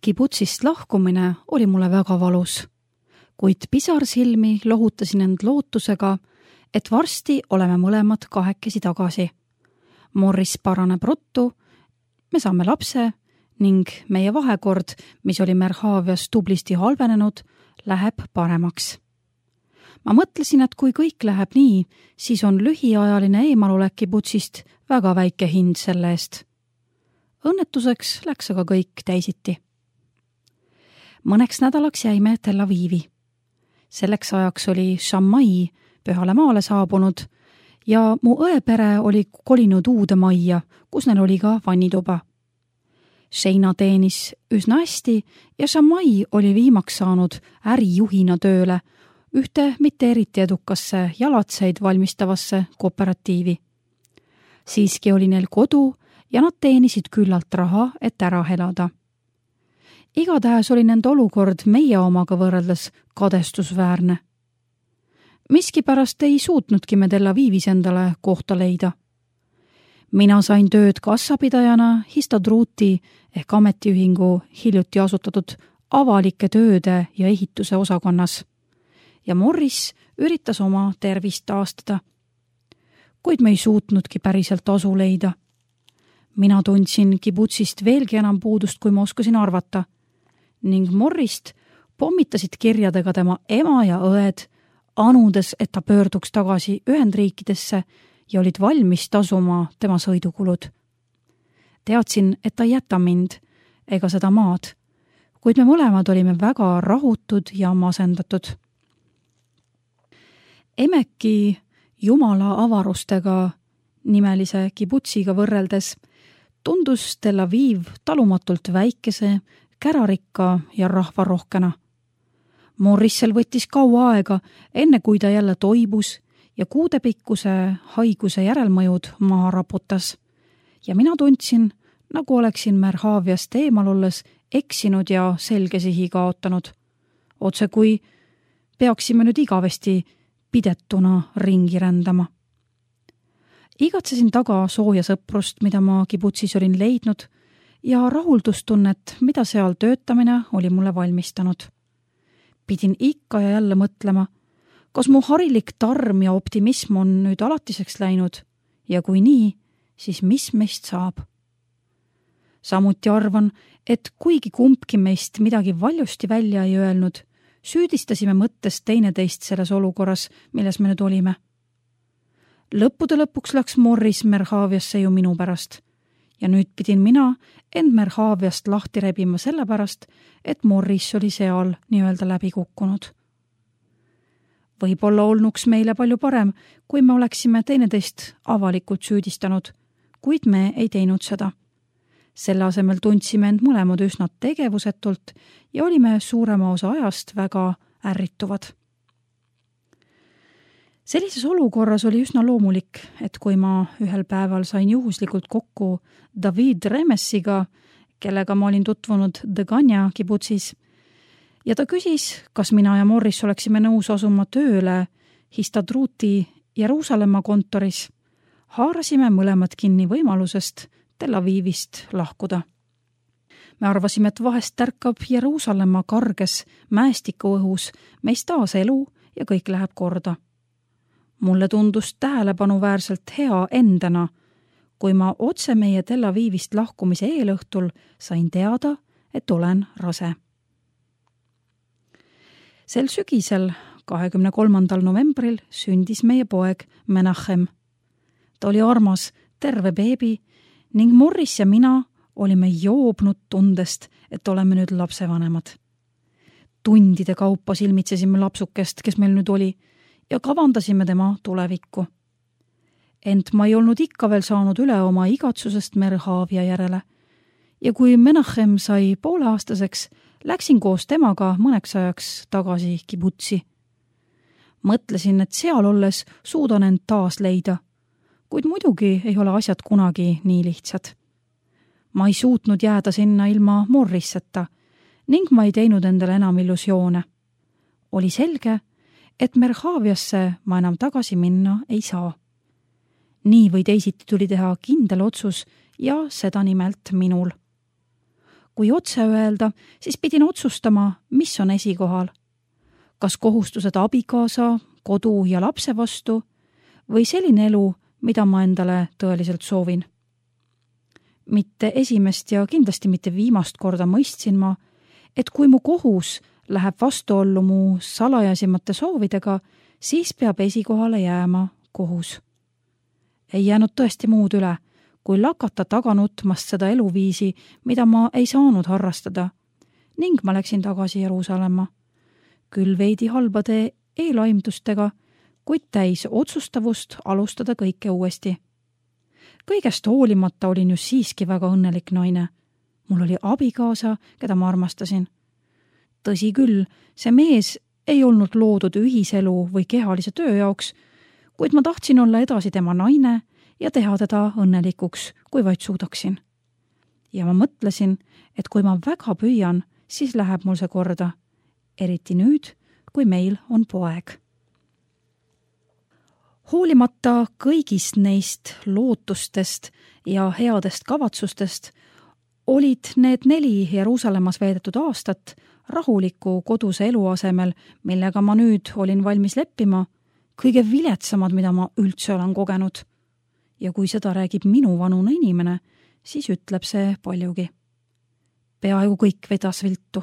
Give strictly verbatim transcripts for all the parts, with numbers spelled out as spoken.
Kibutsist lahkumine oli mulle väga valus, kuid pisarsilmi lohutasin end lootusega, et varsti oleme mõlemad kahekesi tagasi. Morris paraneb ruttu, me saame lapse ning meie vahekord, mis oli Merhavias tublisti halvenenud, läheb paremaks. Ma mõtlesin, et kui kõik läheb nii, siis on lühiajaline eemalolek Kibutsist väga väike hind selle eest. Õnnetuseks läks aga kõik teisiti. Mõneks nädalaks jäime Tel Avivi. Selleks ajaks oli Shammai Pühale maale saabunud ja mu õepere oli kolinud uude majja, kus neil oli ka vannituba. Sheina teenis üsna hästi ja Shammai oli viimaks saanud ärijuhina tööle ühte mitte eriti edukasse jalatseid valmistavasse kooperatiivi. Siiski oli neil kodu ja nad teenisid küllalt raha, et ära elada. Igatahes oli nende olukord meie omaga võrreldes kadestusväärne. Miskipärast ei suutnudki me Tel Avivis endale kohta leida. Mina sain tööd kassapidajana Histadruti ehk ametiühingu hiljuti asutatud avalike tööde ja ehituse osakonnas ja Morris üritas oma tervist taastada. Kuid me ei suutnudki päriselt asu leida. Mina tundsin Kibutsist veelgi enam puudust, kui ma oskasin arvata, ning Morrist pommitasid kirjadega tema ema ja õed, anudes, et ta pöörduks tagasi Ühendriikidesse ja olid valmis tasuma tema sõidukulud. Teadsin, et ta ei jäta mind ega seda maad, kuid me mõlemad olime väga rahutud ja masendatud. Emeki Jumala avarustega nimelise Kibutsiga võrreldes tundus Tel Aviv talumatult väikese, kärarikka ja rahvarohkena. Morrissel võttis kaua aega, enne kui ta jälle toibus ja kuudepikkuse haiguse järelmõjud maha raputas. Ja mina tundsin, nagu oleksin Merhaviast eemal olles eksinud ja selge sihi kaotanud. Otse kui peaksime nüüd igavesti pidetuna ringi rändama. Igatsesin taga sooja sõprust, mida ma Kibutsis olin leidnud, ja rahuldustunnet, mida seal töötamine oli mulle valmistanud. Pidin ikka ja jälle mõtlema, kas mu harilik tarm ja optimism on nüüd alatiseks läinud ja kui nii, siis mis meist saab? Samuti arvan, et kuigi kumbki meist midagi valjusti välja ei öelnud, süüdistasime mõttest teineteist selles olukorras, milles me nüüd olime. Lõppude lõpuks läks Morris Merhaviasse ju minu pärast ja nüüd pidin mina end Merhaviast lahti rebima selle pärast, et Morris oli seal nii-öelda läbi kukkunud. Võib-olla olnuks meile palju parem, kui me oleksime teineteist avalikult süüdistanud, kuid me ei teinud seda. Selle asemel tundsime end mõlemad üsna tegevusetult ja olime suurema osa ajast väga ärrituvad. Sellises olukorras oli üsna loomulik, et kui ma ühel päeval sain juhuslikult kokku David Remessiga, kellega ma olin tutvunud Degania Kibutsis, ja ta küsis, kas mina ja Morris oleksime nõus asuma tööle Histadruti Jeruusalemma kontoris, haarasime mõlemad kinni võimalusest Tel Avivist lahkuda. Me arvasime, et vahest tärkab Jeruusalemma karges mäestikuõhus meist taas elu ja kõik läheb korda. Mulle tundus tähelepanuväärselt hea endana, kui ma otse meie Tel Avivist lahkumise eelõhtul sain teada, et olen rase. Sel sügisel, kahekümne kolmandal novembril, sündis meie poeg Menachem. Ta oli armas, terve beebi ning Morris ja mina olime joobnud tundest, et oleme nüüd lapsevanemad. Tundide kaupa silmitsesime lapsukest, kes meil nüüd oli, ja kavandasime tema tulevikku. Ent ma ei olnud ikka veel saanud üle oma igatsusest Merhavia järele. Ja kui Menachem sai pooleaastaseks, läksin koos temaga mõneks ajaks tagasi Kibutsi. Mõtlesin, et seal olles suudan end taas leida, kuid muidugi ei ole asjad kunagi nii lihtsad. Ma ei suutnud jääda sinna ilma Morrisseta ning ma ei teinud endale enam illusioone. Oli selge, et Merhaviasse ma enam tagasi minna ei saa. Nii või teisiti tuli teha kindel otsus ja seda nimelt minul. kui otse öelda, siis pidin otsustama, mis on esikohal. Kas kohustused abikaasa, kodu ja lapse vastu või selline elu, mida ma endale tõeliselt soovin. Mitte esimest ja kindlasti mitte viimast korda mõistsin ma, et kui mu kohus läheb vastuollu mu salajasimate soovidega, siis peab esikohale jääma kohus. Ei jäänud tõesti muud üle, kui lakata taga nutmast seda eluviisi, mida ma ei saanud harrastada, ning ma läksin tagasi Jeruusalemma. Küll veidi halbade eelaimdustega, kuid täis otsustavust alustada kõike uuesti. Kõigest hoolimata olin ju siiski väga õnnelik naine. Mul oli abikaasa, keda ma armastasin. Tõsi küll, see mees ei olnud loodud ühiselu või kehalise töö jaoks, kuid ma tahtsin olla edasi tema naine ja teha teda õnnelikuks, kui vaid suudaksin. Ja ma mõtlesin, et kui ma väga püüan, siis läheb mul see korda, eriti nüüd, kui meil on poeg. Hoolimata kõigist neist lootustest ja headest kavatsustest olid need neli Jeruusalemmas veedetud aastat rahuliku koduse elu asemel, millega ma nüüd olin valmis leppima, kõige viletsamad, mida ma üldse olen kogenud. Ja kui seda räägib minu vanune inimene, siis ütleb see paljugi. Peaaegu kõik vedas viltu.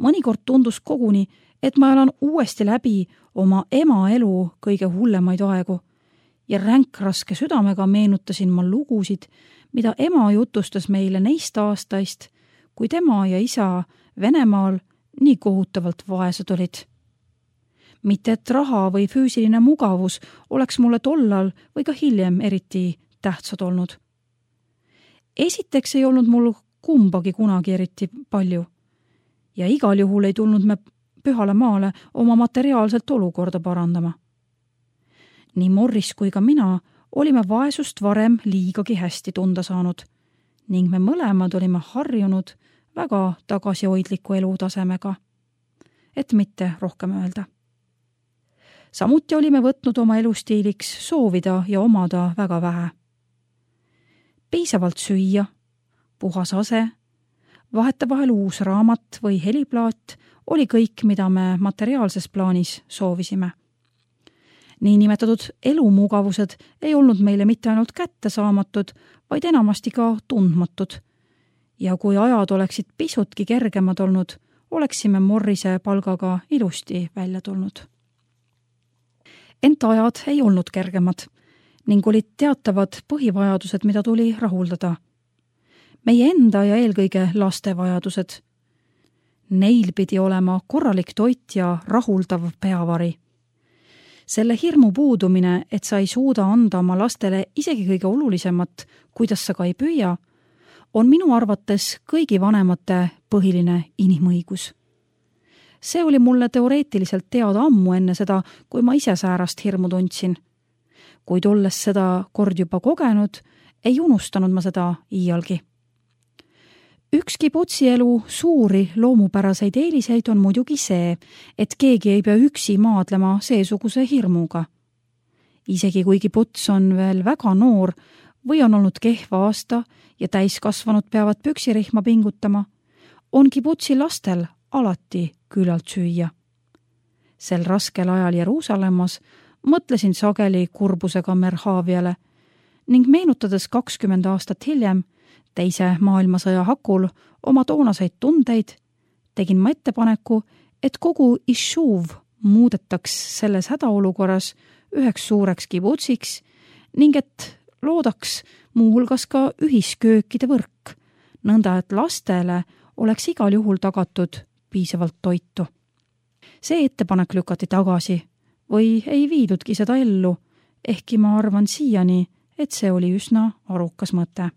Mõnikord tundus koguni, et ma elan uuesti läbi oma ema elu kõige hullemaid aegu ja ränkraske südamega meenutasin ma lugusid, mida ema jutustas meile neist aastaist, kui tema ja isa Venemaal nii kohutavalt vaesed olid. Mitte et raha või füüsiline mugavus oleks mulle tollal või ka hiljem eriti tähtsad olnud. Esiteks ei olnud mul kumbagi kunagi eriti palju ja igal juhul ei tulnud me pühale maale oma materiaalselt olukorda parandama. Nii Morris kui ka mina olime vaesust varem liigagi hästi tunda saanud ning me mõlemad olime harjunud väga tagasihoidliku elutasemega, et mitte rohkem öelda. Samuti olime võtnud oma elustiiliks soovida ja omada väga vähe. Piisavalt süüa, puhas ase, vahetevahel uus raamat või heliplaat oli kõik, mida me materiaalses plaanis soovisime. Niinimetatud elumugavused ei olnud meile mitte ainult kättesaamatud, vaid enamasti ka tundmatud. Ja kui ajad oleksid pisutki kergemad olnud, oleksime Morrise palgaga ilusti välja tulnud. Ent ajad ei olnud kergemad ning olid teatavad põhivajadused, mida tuli rahuldada. Meie enda ja eelkõige laste vajadused. Neil pidi olema korralik toit ja rahuldav peavari. Selle hirmu puudumine, et sa ei suuda anda oma lastele isegi kõige olulisemat, kuidas sa ka ei püüa, on minu arvates kõigi vanemate põhiline inimõigus. See oli mulle teoreetiliselt teada ammu enne seda, kui ma ise säärast hirmu tundsin. Kuid olles seda kord juba kogenud, ei unustanud ma seda iialgi. Ükski putsielu suuri loomupäraseid eeliseid on muidugi see, et keegi ei pea üksi maadlema seesuguse hirmuga. Isegi kuigi puts on veel väga noor või on olnud kehva aasta ja täiskasvanud peavad püksirihma pingutama, ongi putsi lastel alati küllalt süüa. Sel raskel ajal Jeruusalemmas mõtlesin sageli kurbusega Merhaviale ning meenutades kakskümmend aastat hiljem teise maailmasõja hakul oma toonaseid tundeid, tegin ma ettepaneku, et kogu Ishuv muudetaks selles hädaolukorras üheks suureks kibutsiks ning et loodaks muuhulgas ka ühisköökide võrk, nõnda et lastele oleks igal juhul tagatud piisavalt toitu. See ettepanek lükati tagasi või ei viidudki seda ellu, ehkki ma arvan siiani, et see oli üsna arukas mõte.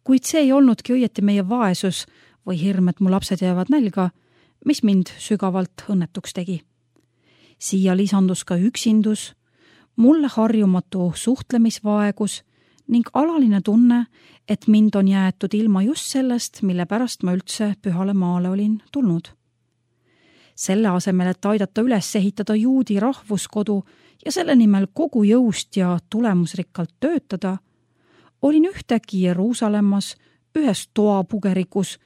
Kuid see ei olnudki õieti meie vaesus või hirm, et mu lapsed jäävad nälga, mis mind sügavalt õnnetuks tegi. Siia lisandus ka üksindus, mulle harjumatu suhtlemisvaegus ning alaline tunne, et mind on jäetud ilma just sellest, mille pärast ma üldse pühale maale olin tulnud. Selle asemel, et aidata üles ehitada juudi rahvuskodu ja selle nimel kogu jõust ja tulemusrikkalt töötada, olin ühtegi Jeruusalemmas ühes toapugerikus,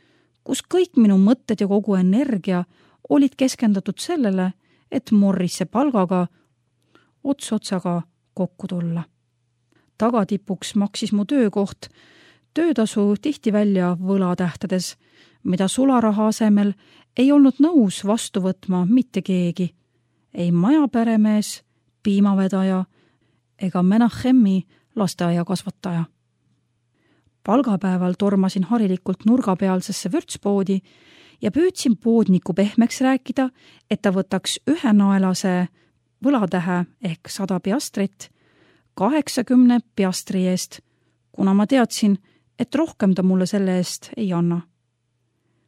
kus kõik minu mõtted ja kogu energia olid keskendatud sellele, et Morrisse palgaga ots otsaga kokku tulla. Tagatipuks maksis mu töökoht töötasu tihti välja võlatähtades, mida sularaha asemel ei olnud nõus vastu võtma mitte keegi, ei majaperemees, piimavedaja ega Menachemi lasteaiakasvataja. Palgapäeval tormasin harilikult nurgapealsesse vürtspoodi ja püüdsin poodniku pehmeks rääkida, et ta võtaks ühenaelase võlatähe ehk sada piastrit kaheksakümne piastri eest, kuna ma teadsin, et rohkem ta mulle selle eest ei anna.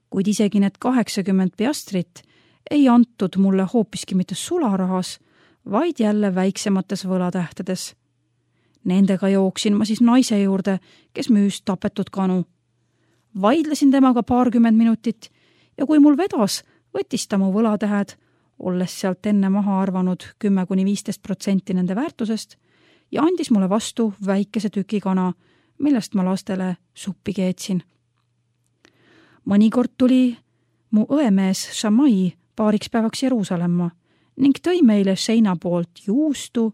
Kuid isegi need kaheksakümmend piastrit ei antud mulle hoopiski mitte sularahas, vaid jälle väiksemates võlatähtedes. Nendega jooksin ma siis naise juurde, kes müüs tapetud kanu. Vaidlesin temaga paarkümmend minutit ja kui mul vedas, võttis ta mu võlatähed, olles sealt enne maha arvanud kümme kuni viisteist protsenti nende väärtusest ja andis mulle vastu väikese tüki kana, millest ma lastele suppi keetsin. Mõnikord tuli mu õemees Shamai paariks päevaks Jeruusalemma ning tõi meile seina poolt juustu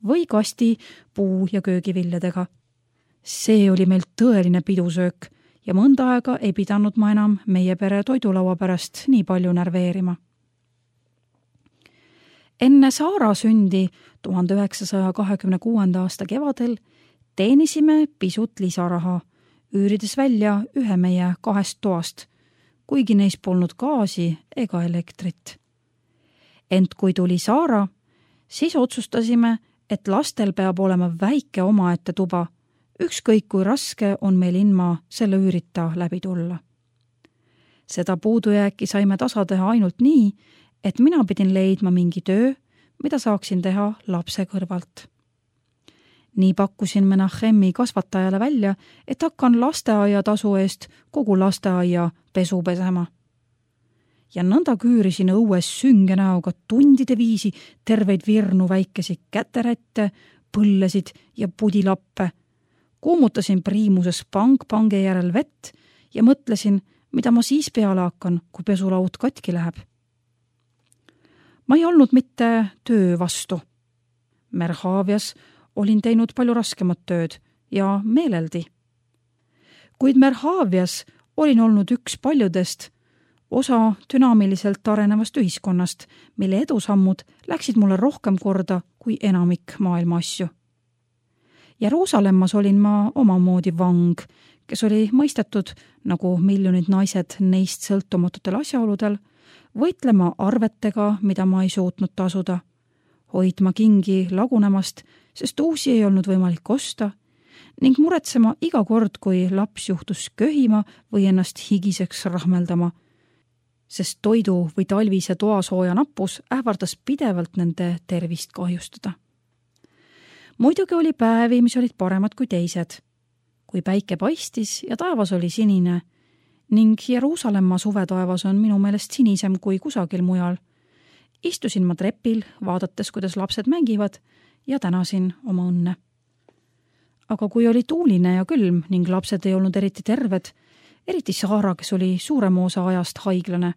või kasti puu- ja köögiviljadega. See oli meil tõeline pidusöök ja mõnda aega ei pidanud ma enam meie pere toidulaua pärast nii palju närveerima. Enne Saara sündi tuhande üheksasaja kahekümne kuuenda aasta kevadel teenisime pisut lisaraha, üürides välja ühe meie kahest toast, kuigi neis polnud gaasi ega elektrit. Ent kui tuli Saara, siis otsustasime, et lastel peab olema väike omaette tuba, ükskõik kui raske on meil ilma selle üürita läbi tulla. Seda puudujääki saime tasa teha ainult nii, et mina pidin leidma mingi töö, mida saaksin teha lapse kõrvalt. Nii pakkusin Menachemi kasvatajale välja, et hakkan lasteaia tasu eest kogu lasteaia pesu pesema. Ja nõnda küürisin õues sünge näoga tundide viisi terveid virnu väikesi käterätte, põllesid ja pudilappe. Kuumutasin priimuses pang pange järel vett ja mõtlesin, mida ma siis peale hakkan, kui pesulaud katki läheb. Ma ei olnud mitte töö vastu. Merhavias olin teinud palju raskemat tööd ja meeleldi. Kuid Merhavias olin olnud üks paljudest osa dünaamiliselt arenevast ühiskonnast, mille edusammud läksid mulle rohkem korda kui enamik maailma asju. Jeruusalemmas olin ma omamoodi vang, kes oli mõistetud, nagu miljonid naised neist sõltumatutel asjaoludel, võitlema arvetega, mida ma ei suutnud tasuda, hoidma kingi lagunemast, sest uusi ei olnud võimalik osta, ning muretsema iga kord, kui laps juhtus köhima või ennast higiseks rahmeldama, sest toidu või talvise toasooja nappus ähvardas pidevalt nende tervist kahjustada. Muidugi oli päevi, mis olid paremad kui teised, kui päike paistis ja taevas oli sinine, ning Jeruusalemma suvetaevas on minu meelest sinisem kui kusagil mujal. Istusin ma trepil, vaadates, kuidas lapsed mängivad ja tänasin oma õnne. Aga kui oli tuuline ja külm ning lapsed ei olnud eriti terved, eriti Saara, kes oli suurema osa ajast haiglane,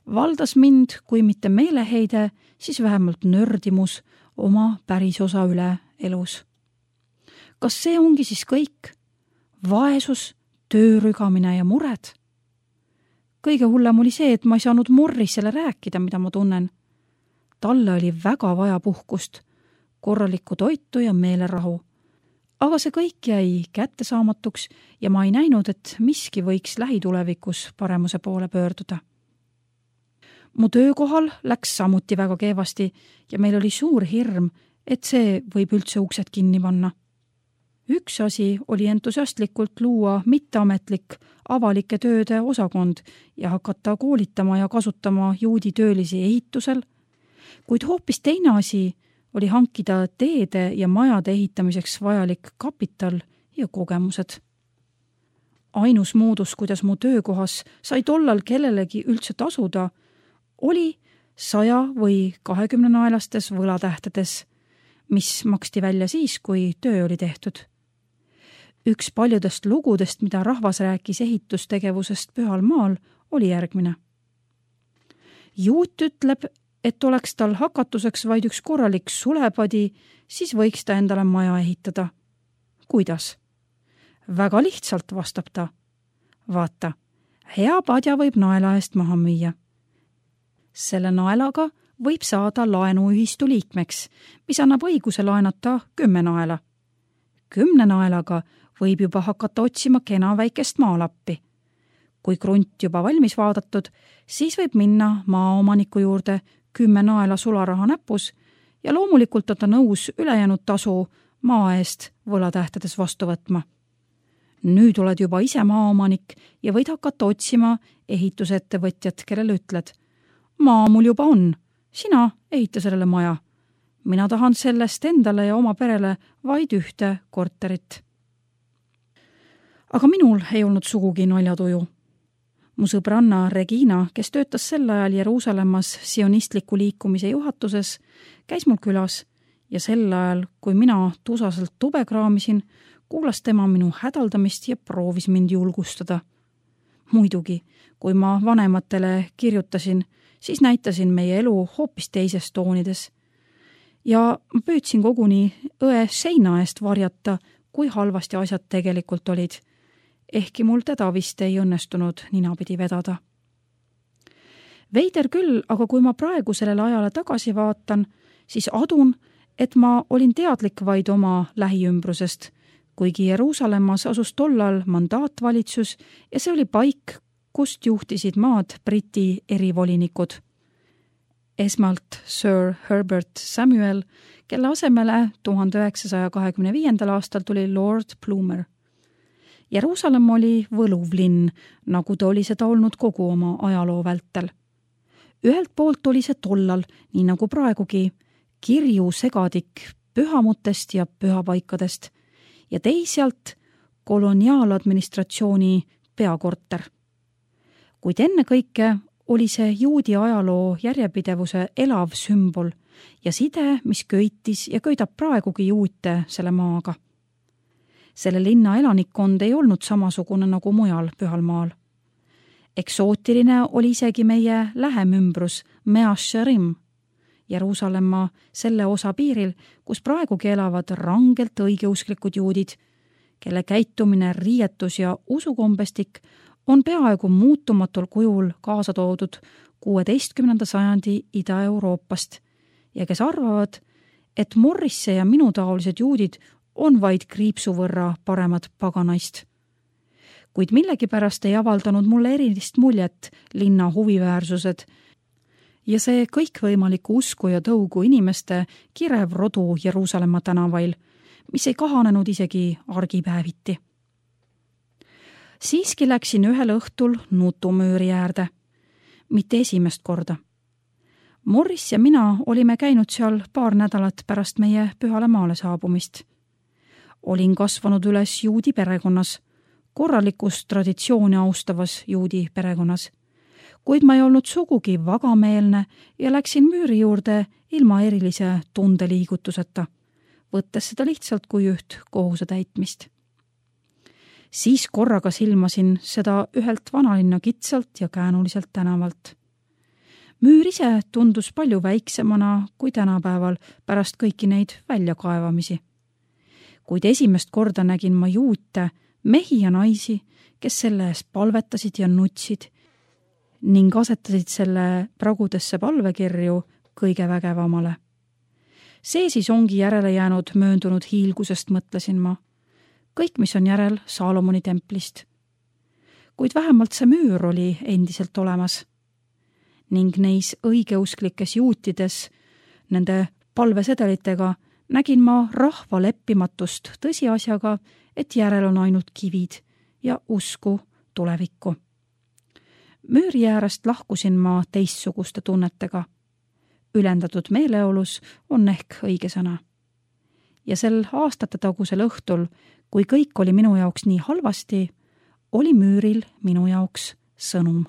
valdas mind, kui mitte meeleheide, siis vähemalt nördimus oma pärisosa üle elus. Kas see ongi siis kõik? Vaesus, töörügamine ja mured? Kõige hullem oli see, et ma ei saanud Morrisele rääkida, mida ma tunnen. Talle oli väga vaja puhkust, korralikku toitu ja meelerahu. Aga see kõik jäi kättesaamatuks ja ma ei näinud, et miski võiks lähitulevikus paremuse poole pöörduda. Mu töökohal läks samuti väga keevasti ja meil oli suur hirm, et see võib üldse uksed kinni panna. Üks asi oli entusiastlikult luua mitteametlik avalike tööde osakond ja hakata koolitama ja kasutama juudi töölisi ehitusel, kuid hoopis teine asi oli hankida teede ja majade ehitamiseks vajalik kapital ja kogemused. Ainus moodus, kuidas mu töökohas sai tollal kellelegi üldse tasuda, oli saja või kahekümne naelastes võlatähtedes, mis maksti välja siis, kui töö oli tehtud. Üks paljudest lugudest, mida rahvas rääkis ehitustegevusest Pühal maal, oli järgmine. Juut ütleb, et oleks tal hakatuseks vaid üks korralik sulepadi, siis võiks ta endale maja ehitada. Kuidas? Väga lihtsalt, vastab ta. Vaata, hea padja võib naela eest maha müüa. Selle naelaga võib saada laenuühistu liikmeks, mis annab õiguse laenata kümme naela. Kümne naelaga võib juba hakata otsima kena väikest maalappi. Kui krunt juba valmis vaadatud, siis võib minna maaomaniku juurde kümme naela sularaha näpus ja loomulikult on ta nõus ülejäänud tasu maa eest võlatähtades vastu võtma. Nüüd oled juba ise maaomanik ja võid hakata otsima ehitusettevõtjat, kellele ütled. Maa mul juba on, sina ehita sellele maja. Mina tahan sellest endale ja oma perele vaid ühte korterit. Aga minul ei olnud sugugi naljatuju. Mu sõbranna Regina, kes töötas sel ajal Jeruusalemmas sionistliku liikumise juhatuses, käis mul külas ja sel ajal, kui mina tusaselt tube kraamisin, kuulas tema minu hädaldamist ja proovis mind julgustada. Muidugi, kui ma vanematele kirjutasin, siis näitasin meie elu hoopis teises toonides. Ja ma püüdsin koguni õe seina eest varjata, kui halvasti asjad tegelikult olid. Ehkki mul teda vist ei õnnestunud ninapidi vedada. Veider küll, aga kui ma praegu sellele ajale tagasi vaatan, siis adun, et ma olin teadlik vaid oma lähiümbrusest, kuigi Jeruusalemmas asus tollal mandaatvalitsus ja see oli paik, kust juhtisid maad Briti erivolinikud. Esmalt Sir Herbert Samuel, kelle asemele tuhande üheksasaja kahekümne viiendal aastal tuli Lord Plumer. Jeruusalemm oli võluv linn, nagu ta oli seda olnud kogu oma ajaloo vältel. Ühelt poolt oli see tollal, nii nagu praegugi, kirju segadik pühamutest ja pühapaikadest ja teisalt koloniaaladministratsiooni peakorter. Kuid ennekõike oli see juudi ajaloo järjepidevuse elav sümbol ja side, mis köitis ja köidab praegugi juute selle maaga. Selle linna elanikkond ei olnud samasugune nagu mujal Pühal maal. Eksootiline oli isegi meie lähem ümbrus Mea Shearim, Jeruusalemma selle osa piiril, kus praegugi elavad rangelt õigeusklikud juudid, kelle käitumine, riietus ja usukombestik on peaaegu muutumatul kujul kaasa toodud kuueteistkümnenda sajandi Ida-Euroopast ja kes arvavad, et Morrisse ja minutaolised juudid on vaid kriipsu võrra paremad paganaist. Kuid millegipärast ei avaldanud mulle erilist muljet linna huviväärsused ja see kõikvõimaliku usku ja tõugu inimeste kirev rodu Jeruusalemma tänavail, mis ei kahanenud isegi argipäeviti. Siiski läksin ühel õhtul nutumüüri äärde, mitte esimest korda. Morris ja mina olime käinud seal paar nädalat pärast meie Pühale maale saabumist. Olin kasvanud üles juudi perekonnas, korralikus traditsiooni austavas juudi perekonnas, kuid ma ei olnud sugugi vagameelne ja läksin müüri juurde ilma erilise tundeliigutuseta, võttes seda lihtsalt kui üht kohuse täitmist. Siis korraga silmasin seda ühelt vanalinna kitsalt ja käänuliselt tänavalt. Müür ise tundus palju väiksemana kui tänapäeval pärast kõiki neid väljakaevamisi. Kuid esimest korda nägin ma juute, mehi ja naisi, kes selle eest palvetasid ja nutsid ning asetasid selle pragudesse palvekirju kõige vägevamale. See siis ongi järele jäänud mööndunud hiilgusest, mõtlesin ma. Kõik, mis on järel Saalomoni templist. Kuid vähemalt see müür oli endiselt olemas. Ning neis õigeusklikes juutides, nende palvesedelitega, nägin ma rahva leppimatust tõsiasjaga, et järel on ainult kivid ja usku tulevikku. Müüri äärest lahkusin ma teistsuguste tunnetega. Ülendatud meeleolus on ehk õige sõna. Ja sel aastate tagusel õhtul, kui kõik oli minu jaoks nii halvasti, oli müüril minu jaoks sõnum.